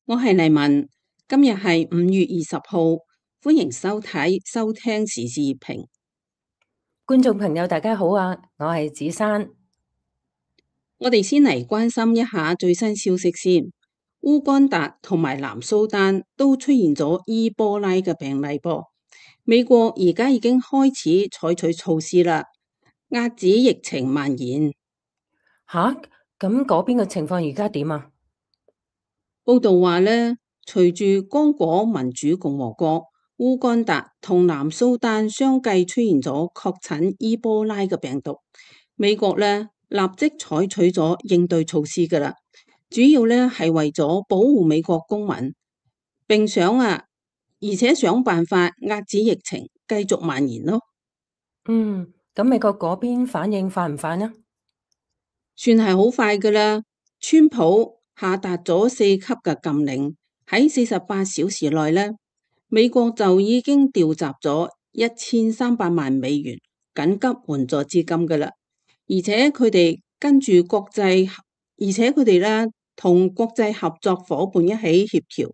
我係黎文，今日係5月20號，歡迎收聽時事熱評。觀眾朋友大家好啊，我係子珊。我哋先嚟關心一下最新消息先。烏干達同埋南蘇丹都出現咗伊波拉嘅病例噃。美國而家已經開始採取措施啦，遏止疫情蔓延。吓，咁嗰邊嘅情況而家點啊？報道話呢，隨住剛果民主共和國、烏干達同南蘇丹相繼出現咗確診伊波拉嘅病毒，美國呢立即採取咗應對措施噶啦，主要呢係為咗保護美國公民，而且想辦法遏止疫情繼續蔓延咯。咁美國嗰邊反應快唔快呢？算係好快噶啦，川普下達咗4級嘅禁令，喺48小時內呢，美國就已經調集咗1300萬美元緊急援助資金噶啦，而且佢哋呢同國際合作伙伴一起協調，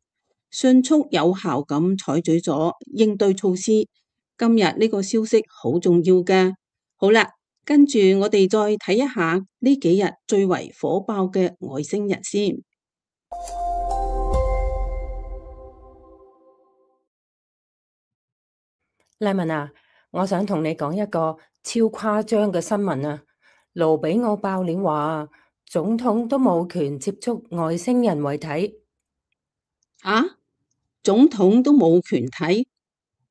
迅速有效咁採取咗應對措施。今日呢個消息好重要嘅。好啦，跟住我哋再睇一下呢幾日最為火爆嘅外星人先。黎文啊，我想同你講一個超誇張嘅新聞啊！盧比奧爆料話，總統都冇權接觸外星人遺體。啊，總統都冇權睇，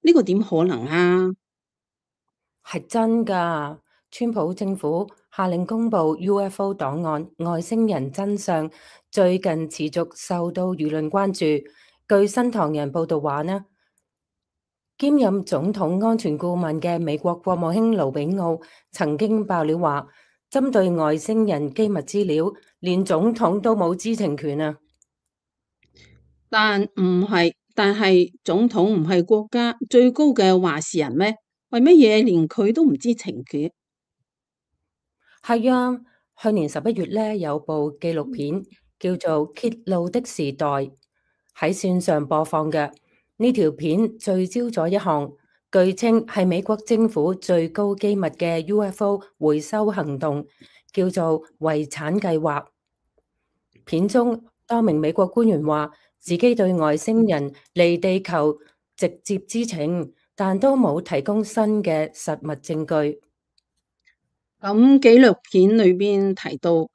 呢個點可能啊？係真㗎，川普政府下令公布 UFO 檔案，外星人真相最近持續受到輿論關注。據新唐人報道話呢，兼任總統安全顧問嘅美國國務卿盧比奧曾經爆料話，針對外星人機密資料，連總統都冇知情權啊！但係總統唔係國家最高嘅話事人咩？為乜嘢連佢都唔知情嘅？係啊，去年11月呢，有部紀錄片叫做《揭露的時代》喺線上播放嘅。呢條片聚焦咗一項據稱係美國政府最高機密嘅 UFO 回收行動，叫做遺產計劃。片中多名美國官員話自己對外星人離地球直接知情，但都冇提供新嘅實物證據。咁紀錄片裏邊提到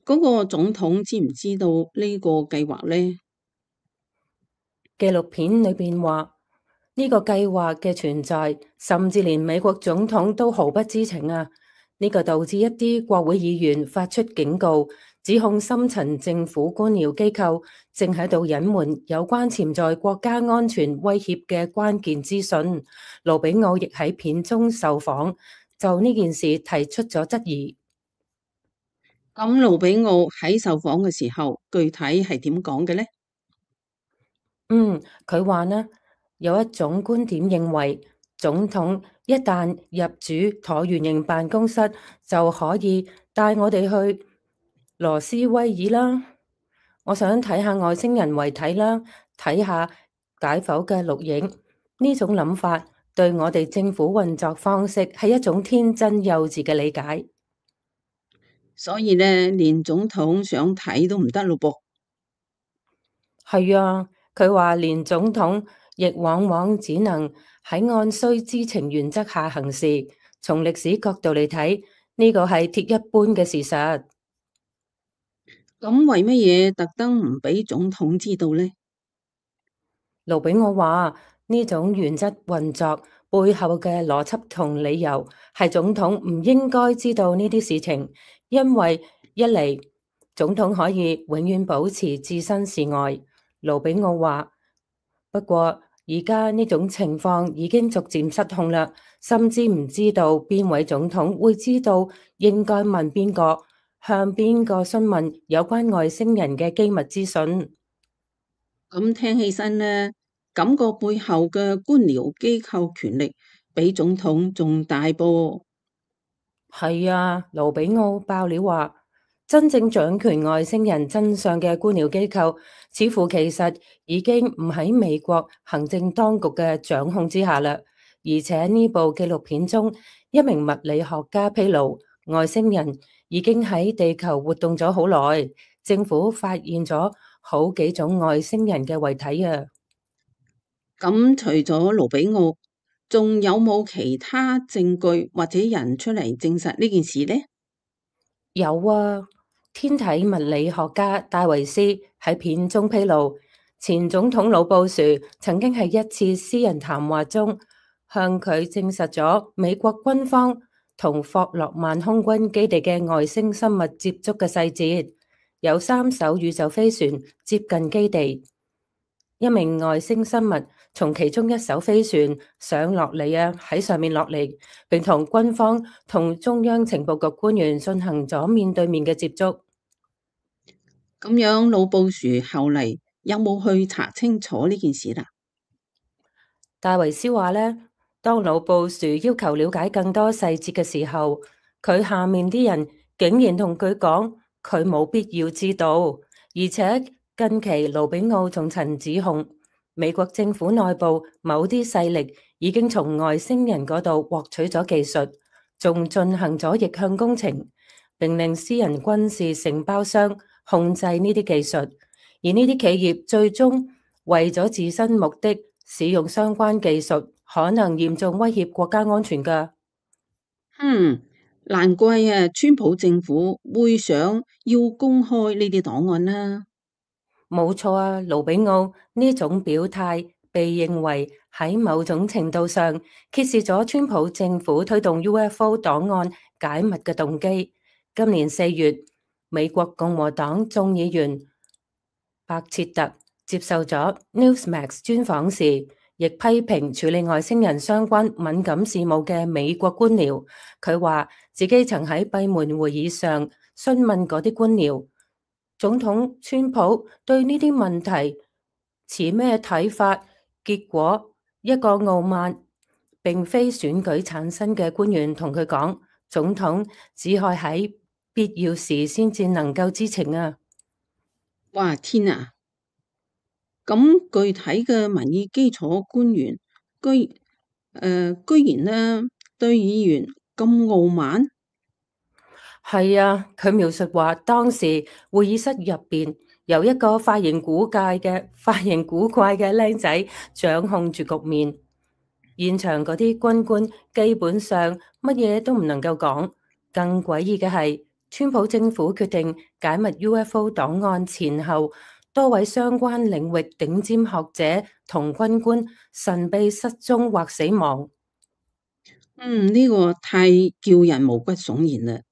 嗰個總統知唔知道呢個計劃呢？紀錄片裏邊話呢個計劃嘅存在，甚至連美國總統都毫不知情啊！呢個導致一啲國會議員發出警告，指控深層政府官僚機構正喺度隱瞞有關潛在國家安全威脅嘅關鍵資訊。盧比奧亦喺片中受訪，就呢件事提出咗質疑。咁盧比奧喺受訪嘅時候，具體係點講嘅呢？佢話呢，有一種觀點認為，總統一旦入主橢圓形辦公室，就可以帶我哋去羅斯威爾啦。我想睇下外星人遺體啦，睇下解剖嘅錄影。呢種諗法對我哋政府運作方式係一種天真幼稚嘅理解。所以呢，連總統想睇都唔得咯噃。係啊，佢話連總統亦往往只能喺按需知情原則下行事。從歷史角度嚟睇，呢個係鐵一般嘅事實。咁為乜嘢特登唔俾總統知道呢？盧比奧話呢種原則運作背後嘅邏輯同理由係總統唔應該知道呢啲事情，因為一嚟總統可以永遠保持置身事外。盧比奧話，不過而家呢種情況已經逐漸失控啦，甚至唔知道邊位總統會知道應該問邊個，向邊個詢問有關外星人嘅機密資訊。咁聽起身呢，感覺背後嘅官僚機構權力比總統仲大噃。係啊，盧比奧爆料話，真正掌權外星人真相嘅官僚機構似乎其實已經唔喺美國行政當局嘅掌控之下啦。而且呢部紀錄片中，一名物理學家披露，外星人已經喺地球活動咗好耐，政府發現咗好幾種外星人嘅遺體啊！咁除咗盧比奧，仲有冇其他證據或者人出嚟證實呢件事呢？有啊，天體物理學家戴維斯喺片中披露，前總統老布殊曾經喺一次私人談話中向佢證實咗美國軍方同霍洛曼空軍基地嘅外星生物接觸嘅細節，有3艘宇宙飛船接近基地。一名外星生物從其中一艘飛船上落嚟啊，喺上面落嚟，並同軍方同中央情報局官員進行咗面對面嘅接觸。咁樣，老布殊後嚟有冇去查清楚呢件事啦？戴維斯話呢，當老布殊要求了解更多細節嘅時候，佢下面啲人竟然同佢講，佢冇必要知道，而且近期盧比奧仲曾指控美國政府內部某啲勢力已經從外星人嗰度獲取咗技術，仲進行咗逆向工程，並令私人軍事承包商控制呢啲技術，而呢啲企業最終為咗自身目的使用相關技術，可能嚴重威脅國家安全㗎。難怪啊，川普政府會想要公開呢啲檔案啦。冇錯啊，盧比奧呢種表態被認為喺某種程度上揭示咗川普政府推動 UFO 檔案解密嘅動機。今年4月，美國共和黨眾議員白切特接受咗 Newsmax 專訪時，亦批評處理外星人相關敏感事務嘅美國官僚。佢話自己曾喺閉門會議上詢問嗰啲官僚，總統川普對呢啲問題持咩睇法？結果一個傲慢並非選舉產生嘅官員同佢講，總統只係喺必要時先至能夠知情啊！哇，天啊！咁具體嘅民意基礎官員居然呢對議員咁傲慢。係啊，佢描述話當時會議室入邊有一個髮型古怪嘅僆仔掌控住局面，現場嗰啲軍官基本上乜嘢都唔能夠講。更詭異嘅係，川普政府決定解密 UFO 檔案前後，多位相關領域頂尖學者同軍官神秘失蹤或死亡。呢個太叫人毛骨悚然啦！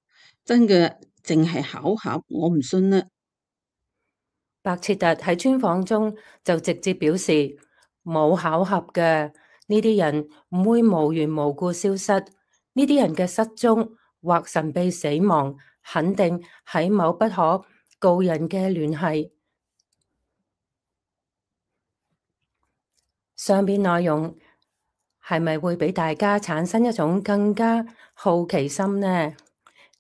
真嘅，淨係巧合，我唔信啦。白切特喺專訪中就直接表示，冇巧合嘅，呢啲人唔會無緣無故消失，呢啲人嘅失蹤或神秘死亡，肯定喺某不可告人嘅聯繫。上邊內容係咪會俾大家產生一種更加好奇心呢？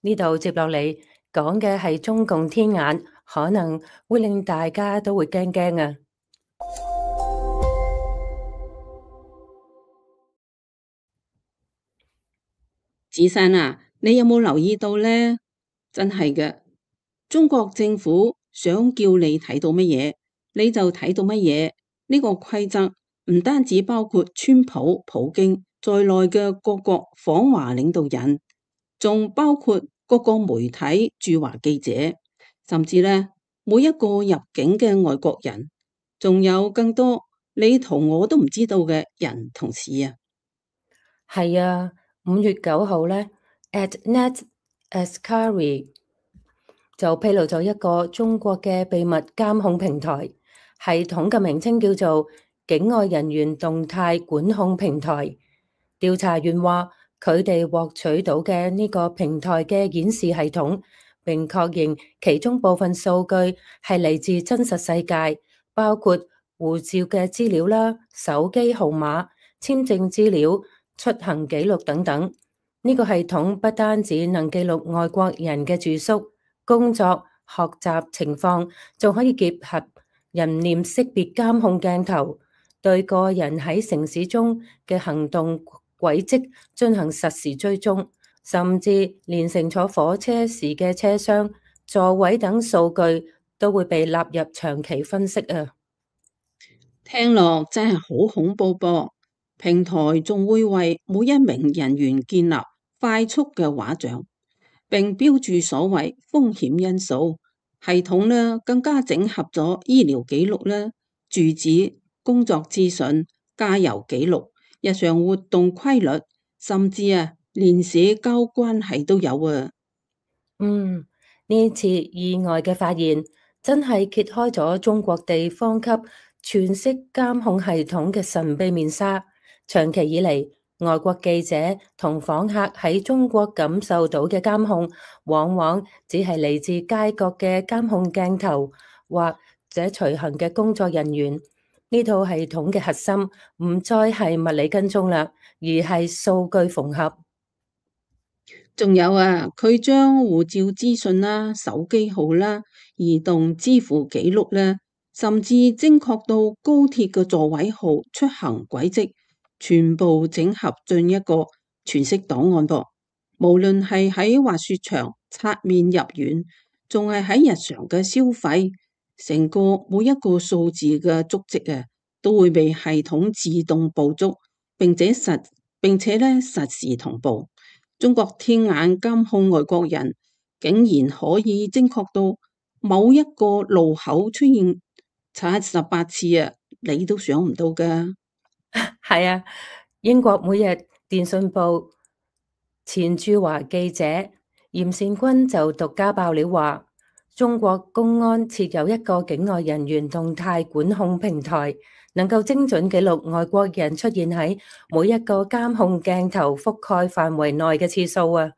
呢度接落嚟講嘅係中共天眼，可能會令大家都會驚驚啊！子珊啊，你有冇留意到呢？真係嘅，中國政府想叫你睇到乜嘢，你就睇到乜嘢。呢個規則唔單止包括川普、普京在內嘅各國訪華領導人，仲包括各個媒體駐華記者，甚至呢每一個入境嘅外國人，仲有更多你同我都唔知道嘅人同事啊。係啊，5月9號呢 ，@net Askari 就披露咗一個中國嘅秘密監控平台，系統嘅名稱叫做境外人員動態管控平台。調查員話，佢哋獲取到嘅呢個平台嘅顯示系統，並確認其中部分數據係嚟自真實世界，包括護照嘅資料啦、手機號碼、簽證資料、出行記錄等等。呢個系統不單止能記錄外國人嘅住宿、工作、學習情況，仲可以結合人臉識別監控鏡頭，對個人喺城市中嘅行動軌跡進行實時追蹤，甚至連乘坐火車時嘅車廂、座位等數據都會被納入長期分析啊！聽落真係好恐怖噃。平台仲會為每一名人員建立快速嘅畫像，並標注所謂風險因素。系統呢更加整合咗醫療記錄啦、住址、工作資訊、加油記錄、日常活動規律，甚至連社交關係都有啊！呢次意外嘅發現真係揭開咗中國地方級全息監控系統嘅神秘面紗。長期以嚟，外國記者同訪客喺中國感受到嘅監控，往往只係嚟自街角嘅監控鏡頭或者隨行嘅工作人員。呢套系統嘅核心唔再係物理跟蹤啦，而係數據縫合。仲有佢將護照資訊啦、手機號啦、移動支付記錄啦，甚至精確到高鐵嘅座位號、出行軌跡，全部整合進一個全息檔案噃。無論係喺滑雪場擦面入院，仲係喺日常嘅消費，成個每一個數字嘅足跡都會被系統自動捕捉，並且實時同步。中國天眼監控外國人，竟然可以精確到某一個路口出現78次你都想唔到噶。係啊，英國每日電訊報前駐華記者嚴善君就獨家爆料話，中國公安設有一個境外人員動態管控平台，能夠精準記錄外國人出現喺每一個監控鏡頭覆蓋範圍內嘅次數啊！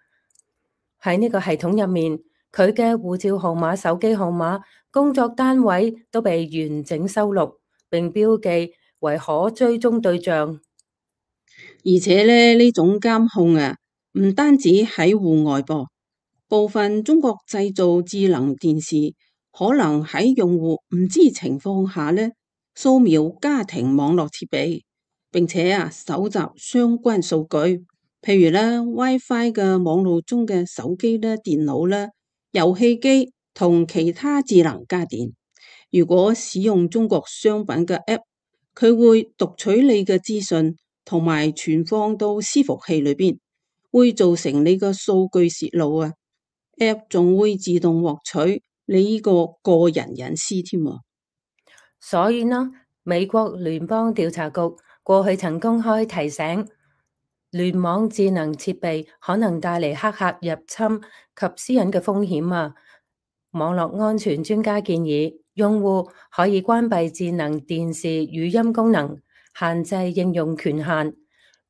喺呢個系統入面，佢嘅護照號碼、手機號碼、工作單位都被完整收錄，並標記為可追蹤對象。而且呢種監控唔單止喺戶外噃，部分中國製造智能電視可能喺用戶唔知情況下掃描家庭網絡設備，並且搜集相關數據，譬如WiFi 嘅網絡中嘅手機啦、電腦啦、遊戲機同其他智能家電。如果使用中國商品嘅 App， 佢會讀取你嘅資訊同埋存放到伺服器裏邊，會造成你嘅數據洩露App 仲會自動獲取你呢個個人隱私添。所以呢，美國聯邦調查局過去曾公開提醒，聯網智能設備可能帶嚟黑客入侵及私隱嘅風險啊。網絡安全專家建議，用戶可以關閉智能電視語音功能，限制應用權限，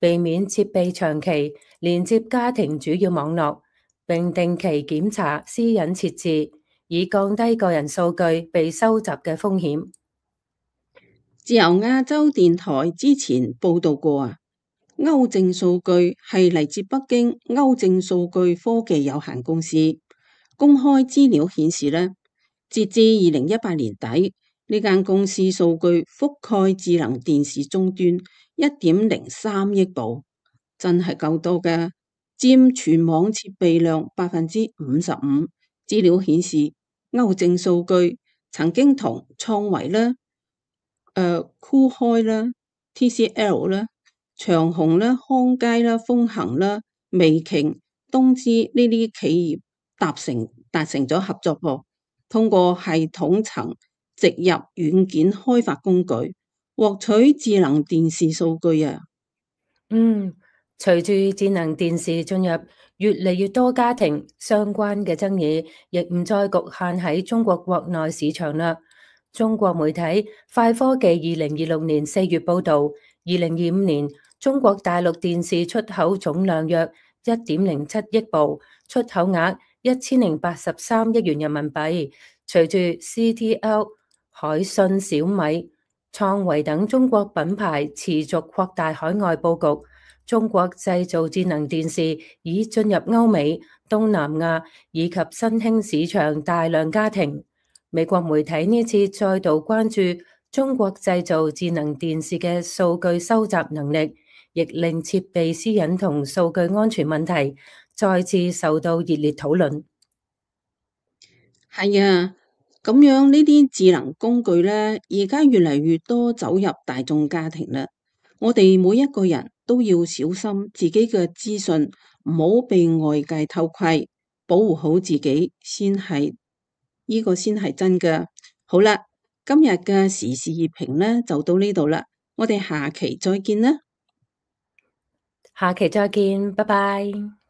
避免設備長期連接家庭主要網絡，並定期檢查私隱設置，以降低個人數據被收集嘅風險。自由亞洲電台之前報道過歐證數據係嚟自北京歐證數據科技有限公司公開資料顯示截至2018年底，呢間公司數據覆蓋智能電視終端1.03億部，真係夠多嘅，佔全網設備量55%。資料顯示，歐證數據曾經同創維酷開啦、TCL 啦、長虹啦、康佳啦、豐恒啦、微鯨、東芝呢啲企業達成咗合作噃，通過系統層植入軟件開發工具，獲取智能電視數據隨住智能電視進入越嚟越多家庭，相關嘅爭議亦唔再局限喺中國國內市場啦。中國媒體快科技2026年4月報道，2025年中國大陸電視出口總量約1.07億部，出口額1083億元人民幣。隨住 CTL、海信、小米、創維等中國品牌持續擴大海外佈局，中國製造智能電視已進入歐美、東南亞以及新興市場大量家庭。美國媒體呢次再度關注中國製造智能電視嘅數據收集能力，亦令設備私隱同數據安全問題再次受到熱烈討論。係啊，咁樣呢啲智能工具呢，而家越嚟越多走入大眾家庭啦。我哋每一個人都要小心自己嘅資訊，唔好被外界偷窺，保護好自己先係呢個先係真㗎。好啦，今日嘅時事熱評呢就到呢度啦，我哋下期再見啦。下期再見，拜拜。